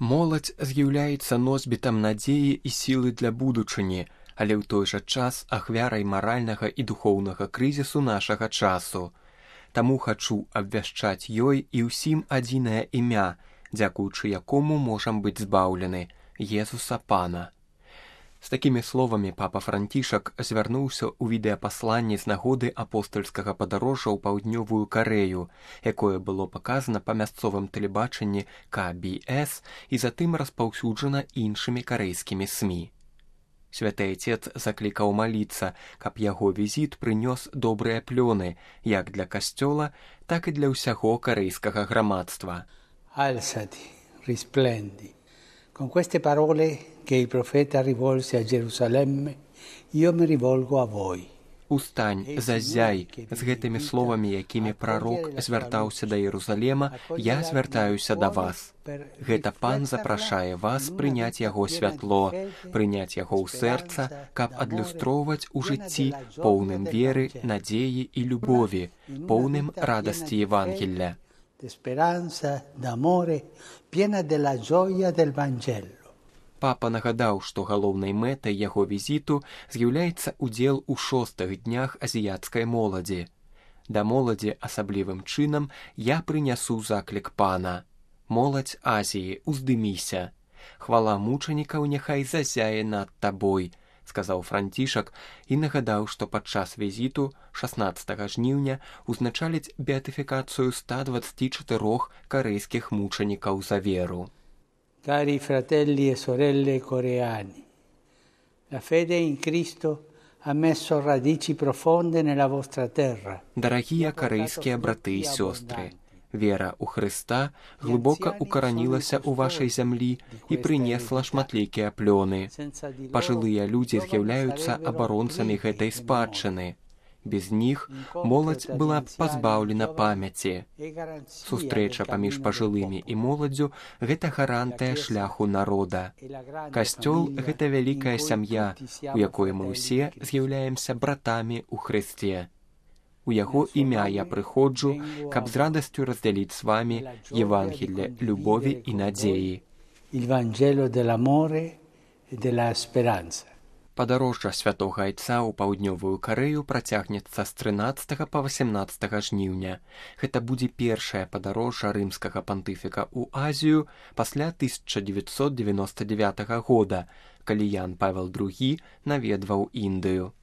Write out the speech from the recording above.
Моладзь з'яўляецца носьбітам надзеі і сілы для будучыні, але ў той жа час ахвярай маральнага і духоўнага крызісу нашага часу. Таму хачу абвяшчаць ёй і ўсім адзінае імя, дзякуючы якому можам быць збаўлены – Езуса Пана. З такімі словамі папа Францішак звярнуўся ў відэапасланні з нагоды апостальскага падарожжа ў паўднёвую Карэю, якое было паказана па мясцовым тэлебачанні КБС і затым распаўсюджана іншымі карэйскімі СМІ. Святы Айцец заклікаў маліцца, каб яго візіт прынёс добрыя плёны як для касцёла, так і для ўсяго карэйскага грамадства. Alzati, risplendi. Con queste parole che il profeta rivolse a Gerusalemme, io mi rivolgo a voi. Устань, заззяй, з гэтымі словамі, якімі прарок звяртаўся да Єрусалема, я звяртаюся да вас. Гэта Пан запрашае вас прыняць яго святло, прыняць яго ў сэрца, каб адлюстроўваць у жыцці поўным веры, надзеі і любові, поўным радасці Євангелля. Speranza, d'amore, piena della gioia del Vangelo. Папа нагадаў, што галоўнай мэтай яго візіту з'яўляецца ўдзел у 6-х днях азіяцкай моладзі. Да моладзі асаблівым чынам я прынясу заклік Пана. Моладзь Азіі, уздыміся. Хвала мучанікаў няхай зазяе над табой, сказаў Францішак і нагадаў, што падчас візіту 16 жніўня узначаліць беатыфікацыю 124 карэйскіх мучанікаў за веру. Cari fratelli e sorelle coreani, la fede in Cristo ha messo radici profonde nella vostra terra. Дарагія карэйскія браты і сёстры, вера ў Хрыста глыбока укаранілася ў вашай зямлі і прынесла шматлікія плёны. Пажылыя людзі з'яўляюцца абаронцамі гэтай спадчыны. Без них моладзь была б пазбаўлена памяці. Сустрэча паміж пажылымі і моладзю – гэта гарантыя шляху народа. Касцёл – гэта вялікая сям'я, у якой мы ўсе з'яўляемся братамі ў Хрысце. У яго імя я прыходжу, каб з радасцю раздзяліць з вамі Євангелле любові і надзеі. Il Vangelo dell'amore e della speranza. Падарожжа святога Айца ў паўднёвую Карэю працягнецца з 13 па 18 жніўня. Гэта будзе першае падарожжа рымскага пантыфіка ў Азію пасля 1999 года, калі Ян Павел II наведваў Індыю.